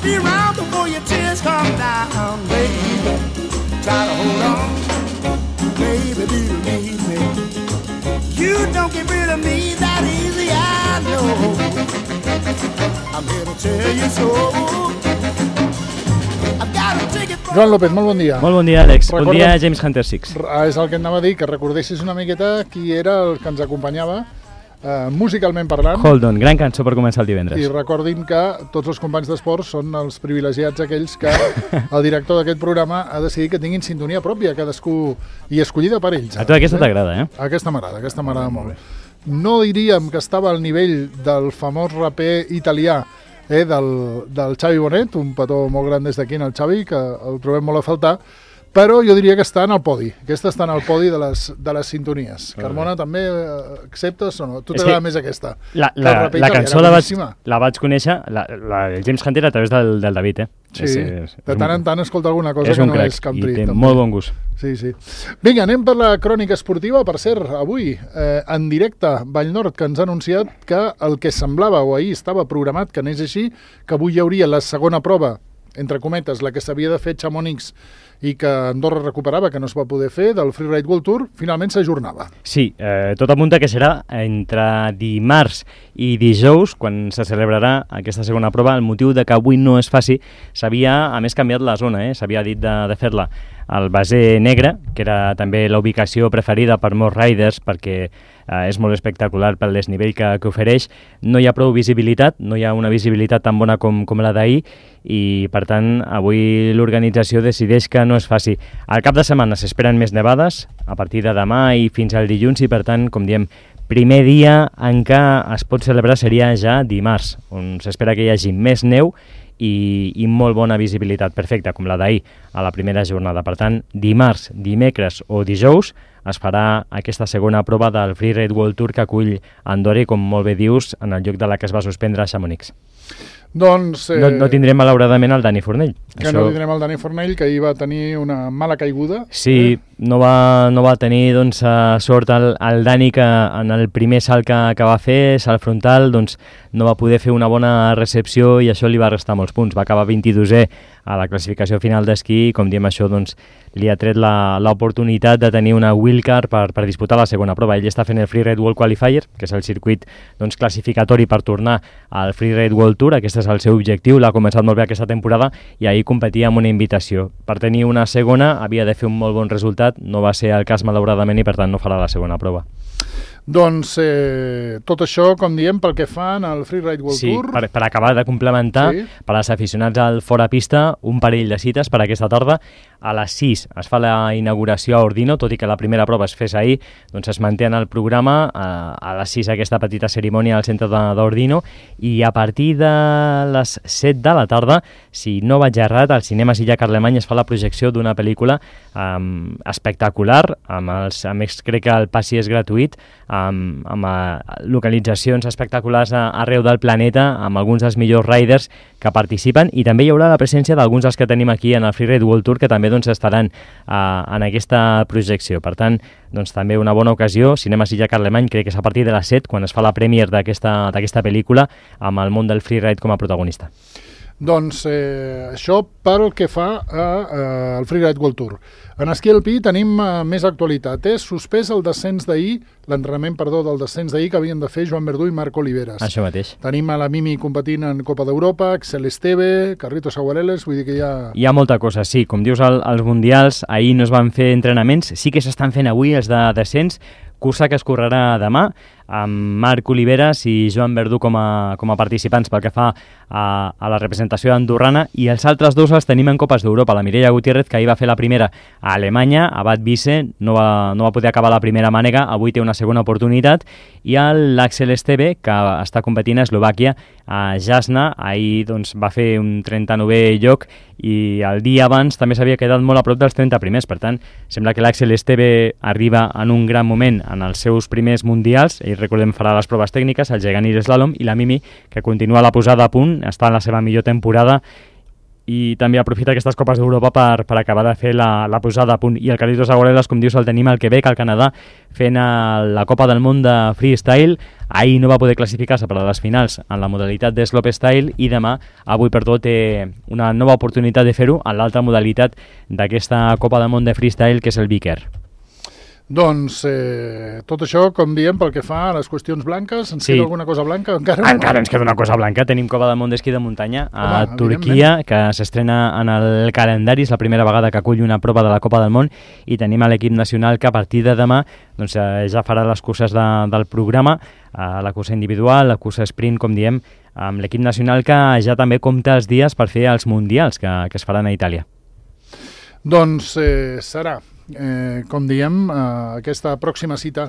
be around before your tears come down, baby. Try to hold on, baby, believe me. You don't get rid of me that easy, I know. I'm here to tell you so. I've got to take it from... Joan López, molt bon dia. Molt bon dia, Àlex. Bon dia, James Hunter 6. És el que et anava a dir, que recordessis una miqueta qui era el que ens acompanyava musicalment parlant. Hold On, gran cançó per començar el divendres. I recordin que tots els companys d'esports són els privilegiats aquells que el director d'aquest programa ha decidit que tinguin sintonia pròpia, cadascú, i escollida per ells. A tu aquesta t'agrada, eh? Aquesta m'agrada molt. No diríem que estava al nivell del famós raper italià del Xavi Bonet, un petó molt gran des d'aquí en el Xavi, que el trobem molt a faltar, però jo diria que està en el podi. Aquesta està en el podi de les sintonies. Carmona, també acceptes o no? Tu t'agrada més aquesta? La cançó la vaig conèixer, el James Hunter, a través del David, eh? Sí, de tant en tant escolta alguna cosa que no és country. I té molt bon gust. Sí. Vinga, anem per la crònica esportiva. Per cert, avui, en directe, Vallnord, que ens ha anunciat que el que semblava, o ahir estava programat, que anés així, que avui hi hauria la segona prova, entre cometes, la que s'havia de fer Chamonix i que Andorra recuperava, que no es va poder fer, del Freeride World Tour, finalment s'ajornava. Sí, tot apunta que serà entre dimarts i dijous, quan se celebrarà aquesta segona prova. El motiu de que avui no es faci, s'havia, a més, canviat la zona, s'havia dit de fer-la al Baser Negre, que era també la ubicació preferida per molts riders, perquè és molt espectacular pel desnivell que ofereix. No hi ha prou visibilitat, no hi ha una visibilitat tan bona com la d'ahir, i per tant avui l'organització decideix que no es faci. Al cap de setmana s'esperen més nevades, a partir de demà i fins al dilluns, i per tant, com diem, primer dia en què es pot celebrar seria ja dimarts, on s'espera que hi hagi més neu i molt bona visibilitat, perfecta, com la d'ahir a la primera jornada. Per tant, dimarts, dimecres o dijous es farà aquesta segona prova del Freeride World Tour que acull Andorra, com molt bé dius, en el lloc de la que es va suspendre a Chamonix. Doncs... No tindrem malauradament el Dani Fornell. No tindrem el Dani Fornell, que ahir va tenir una mala caiguda. Sí, no va tenir sort el Dani, que en el primer salt que va fer, salt frontal, no va poder fer una bona recepció i això li va restar molts punts. Va acabar 22è a la classificació final d'esquí i, com diem, això li ha tret l'oportunitat de tenir una wildcard per disputar la segona prova. Ell està fent el Freeride World Qualifier, que és el circuit classificatori per tornar al Freeride World Tour. Aquest és el seu objectiu, l'ha començat molt bé aquesta temporada i ahir competia amb una invitació. Per tenir una segona havia de fer un molt bon resultat, no va ser el cas malauradament i per tant no farà la segona prova. Doncs tot això, com diem, pel que fan al Freeride World Tour. Sí, per acabar de complementar, per als aficionats al Fora Pista, un parell de cites per aquesta tarda. A les 6 es fa la inauguració a Ordino, tot i que la primera prova es fes ahir, doncs es manté en el programa. A les 6 aquesta petita cerimònia al centre d'Ordino, i a partir de les 7 de la tarda, si no vaig errat, al Cinema Silla Carlemany es fa la projecció d'una pel·lícula espectacular, a més crec que el passi és gratuït, amb localitzacions espectaculars arreu del planeta, amb alguns dels millors riders que participen, i també hi haurà la presència d'alguns dels que tenim aquí en el Freeride World Tour, que també estaran en aquesta projecció. Per tant, també una bona ocasió. Cinema Silla Carlemany, crec que és a partir de les 7, quan es fa la premier d'aquesta pel·lícula, amb el món del freeride com a protagonista. Doncs això pel que fa al Freeride World Tour. En esquí alpí tenim més actualitat. És suspès el descens d'ahir, l'entrenament, del descens d'ahir que havien de fer Joan Verdú i Marc Oliveres. Això mateix. Tenim a la Mimi competint en Copa d'Europa, Axel Esteve, Carritos Aguareles, vull dir que hi ha... Hi ha molta cosa, sí. Com dius, als Mundials ahir no es van fer entrenaments, sí que s'estan fent avui els de descens, cursa que es correrà demà, amb Marc Oliveres i Joan Verdú com a participants pel que fa a la representació andorrana, i els altres dos els tenim en Copes d'Europa. La Mireia Gutiérrez, que ahir va fer la primera a Alemanya, a Bad Wiese, no va poder acabar la primera mànega, avui té una segona oportunitat, i l'Axel Esteve, que està competint a Eslovàquia, a Jasna, ahir va fer un 39è lloc, i el dia abans també s'havia quedat molt a prop dels 30 primers. Per tant, sembla que l'Axel Esteve arriba en un gran moment en els seus primers mundials. Ell, recordem, farà les proves tècniques, el gegant i l'eslàlom, i la Mimi, que continua la posada a punt, està en la seva millor temporada, i també aprofita aquestes Copes d'Europa per acabar de fer la posada a punt. I el Carlitos Aguarelas, com dius, el tenim al Quebec, al Canadà, fent la Copa del Món de Freestyle. Ahir no va poder classificar-se per a les finals en la modalitat de slopestyle i demà, avui per tot, té una nova oportunitat de fer-ho en l'altra modalitat d'aquesta Copa del Món de Freestyle, que és el Big Air. Doncs tot això, com diem, pel que fa a les qüestions blanques, ens queda alguna cosa blanca? Encara ens queda una cosa blanca. Tenim Copa del Món d'esquí de muntanya a Turquia, que s'estrena en el calendari. És la primera vegada que acull una prova de la Copa del Món i tenim a l'equip nacional que a partir de demà doncs, ja farà les curses del programa, la cursa individual, la cursa sprint, com diem, amb l'equip nacional que ja també compta els dies per fer els mundials que es faran a Itàlia. Doncs serà, com diem, aquesta pròxima cita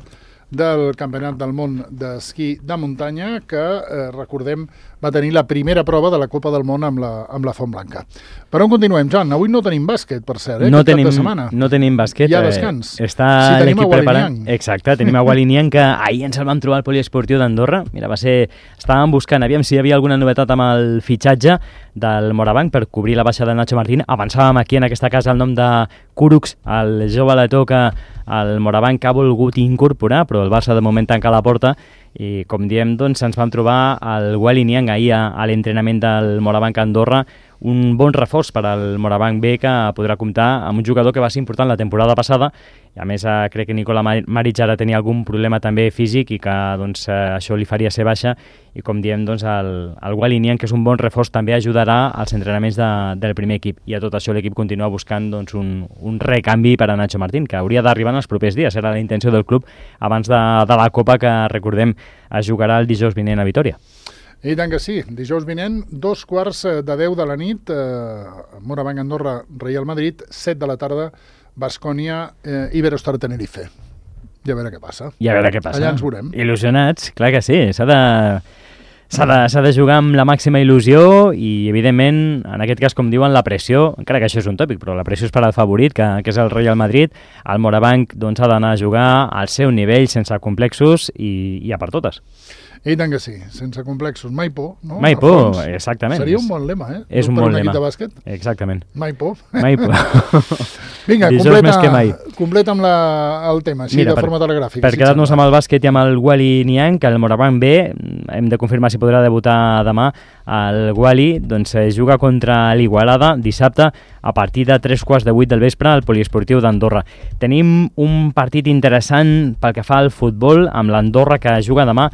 del Campionat del Món d'Esquí de Muntanya, que, recordem, va tenir la primera prova de la Copa del Món amb la Font Blanca. Per on continuem, Joan? Avui no tenim bàsquet, per cert, no tenim, cap de setmana. No tenim bàsquet. Hi ha descans. Està l'equip preparant. Exacte, tenim a Walinian, que ahir ens el vam trobar al poliesportiu d'Andorra. Mira, estàvem buscant, aviam si hi havia alguna novetat amb el fitxatge del Morabanc per cobrir la baixa de Nacho Martín. Avançàvem aquí en aquesta casa el nom de Kurux, el jove letó que el Morabanc ha volgut incorporar, però el Barça de moment tanca la porta i, com diem, doncs, ens vam trobar el Walinian ahir a l'entrenament del Morabanc a Andorra, un bon reforç per al Morabanc B, que podrà comptar amb un jugador que va ser important la temporada passada, i a més crec que Nicola Maric ara tenia algun problema també físic i que doncs, això li faria ser baixa, i com diem, doncs, el Walinian, que és un bon reforç, també ajudarà als entrenaments del primer equip, i a tot això l'equip continua buscant doncs, un recanvi per a Nacho Martín, que hauria d'arribar en els propers dies. Era la intenció del club abans de la Copa, que recordem es jugarà el dijous vinent a Vitòria. I tant que sí, dijous vinent, 2:15 de la nit, Morabanc Andorra, Real Madrid, 7 de la tarda, Baskonia, Iberostar Tenerife. Ja a veure què passa. Allà ens veurem. Il·lusionats, clar que sí, s'ha de jugar amb la màxima il·lusió i, evidentment, en aquest cas, com diuen, la pressió, encara que això és un tòpic, però la pressió és per al favorit, que és el Real Madrid. El Morabanc doncs, ha d'anar a jugar al seu nivell, sense complexos i a per totes. I tant que sí, sense complexos. Mai por, no? Mai por, exactament. Seria un bon lema, És un bon lema. De bàsquet. Exactament. Mai por. Mai por. Vinga, completa amb el tema, així. Mira, de forma telegràfica. Per quedar-nos amb el bàsquet i amb el Wally Niang, que el Morabanc B, hem de confirmar si podrà debutar demà. El Wally doncs, juga contra l'Igualada dissabte a partir de 7:45 del vespre al poliesportiu d'Andorra. Tenim un partit interessant pel que fa al futbol, amb l'Andorra, que juga demà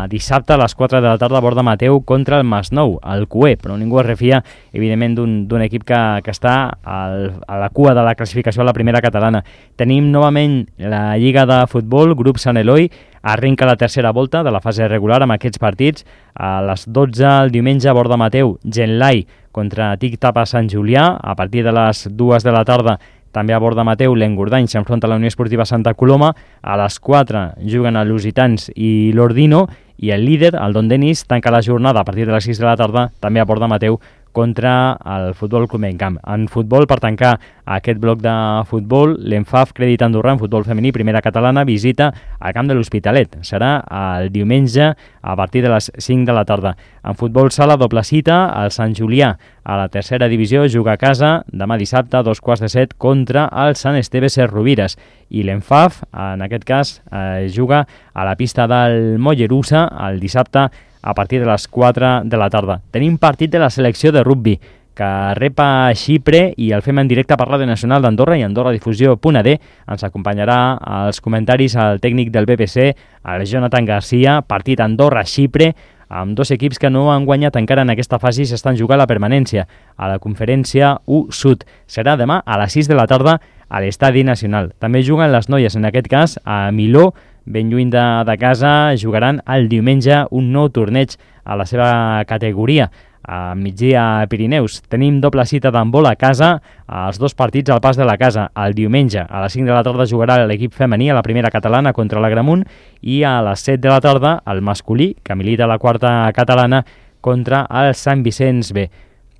dissabte a les 4 de la tarda a Borda Mateu contra el Masnou, el CUE, però ningú es refia, evidentment, d'un equip que està a la cua de la classificació a la primera catalana. Tenim novament la Lliga de Futbol, grup Sant Eloi, arrenca la tercera volta de la fase regular amb aquests partits. A les 12 el diumenge a Borda Mateu, Genlai contra Tic Tapa Sant Julià. A partir de les 2 de la tarda també a Borda Mateu, l'Engordany s'enfronta a la Unió Esportiva Santa Coloma. A les 4 juguen a Lusitans i l'Ordino, i el líder, el Don Denis, tanca la jornada a partir de les 6 de la tarda també a Borda Mateu contra el Futbol Club Encamp. En futbol, per tancar aquest bloc de futbol, l'Enfaf Crèdit Andorra en futbol femení, primera catalana, visita al camp de l'Hospitalet. Serà el diumenge a partir de les 5 de la tarda. En futbol sala, doble cita, el Sant Julià a la tercera divisió juga a casa demà dissabte a 6:45 contra el Sant Esteve Ses Rovires. I l'Enfaf, en aquest cas, juga a la pista del Mollerussa el dissabte a partir de les 4 de la tarda. Tenim partit de la selecció de rugbi, que rep a Xipre, i el fem en directe per Ràdio Nacional d'Andorra i AndorraDifusió.d. Ens acompanyarà als comentaris el tècnic del BBC, el Jonathan Garcia. Partit Andorra-Xipre, amb dos equips que no han guanyat encara en aquesta fase i s'estan jugant la permanència a la conferència U-Sud. Serà demà a les 6 de la tarda a l'Estadi Nacional. També juguen les noies, en aquest cas a Miló, ben lluny de casa. Jugaran el diumenge un nou torneig a la seva categoria, a migdia a Pirineus. Tenim doble cita d'handbol a casa, els dos partits al Pas de la Casa. El diumenge a les 5 de la tarda jugarà l'equip femení a la primera catalana contra l'Agramunt, i a les 7 de la tarda el masculí, que milita a la quarta catalana, contra el Sant Vicenç B.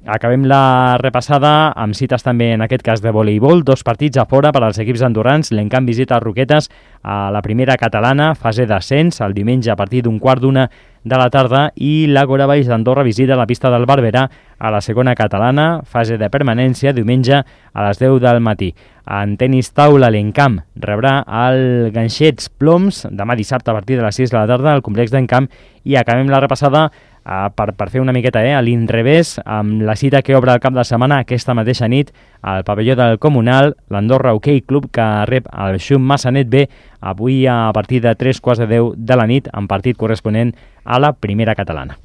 Acabem la repassada amb cites també, en aquest cas, de voleibol. 2 partits a fora per als equips andorrans. L'Encamp visita Roquetes a la primera catalana, fase d'ascens, el diumenge a partir d'1:15 de la tarda, i l'Àgora Baix d'Andorra visita la pista del Barberà a la segona catalana, fase de permanència, diumenge a les 10 del matí. En tenis taula, l'Encamp rebrà el Ganxets Ploms demà dissabte a partir de les 6 de la tarda al complex d'Encamp, i acabem la repassada per fer una miqueta a l'inrevés amb la cita que obre el cap de setmana aquesta mateixa nit al pavelló del Comunal, l'Andorra Hockey Club, que rep el Xum Massanet B avui a partir de 3:15 de la nit, en partit corresponent a la primera catalana.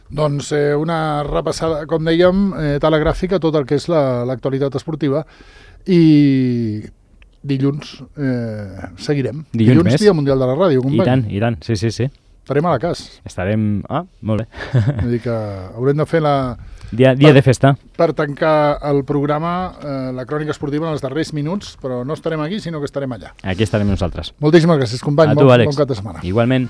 Doncs una repassada, com dèiem, telegràfica a tot el que és l'actualitat esportiva, i dilluns seguirem. Dilluns més. Dia Mundial de la Ràdio, company. I tant, sí. Estarem a la cas. Estarem... molt bé. Vull dir que haurem de fer Dia de festa. Per tancar el programa, la crònica esportiva en els darrers minuts, però no estarem aquí, sinó que estarem allà. Aquí estarem nosaltres. Moltíssimes gràcies, company. A tu, Àlex. Bon cap de setmana. Igualment.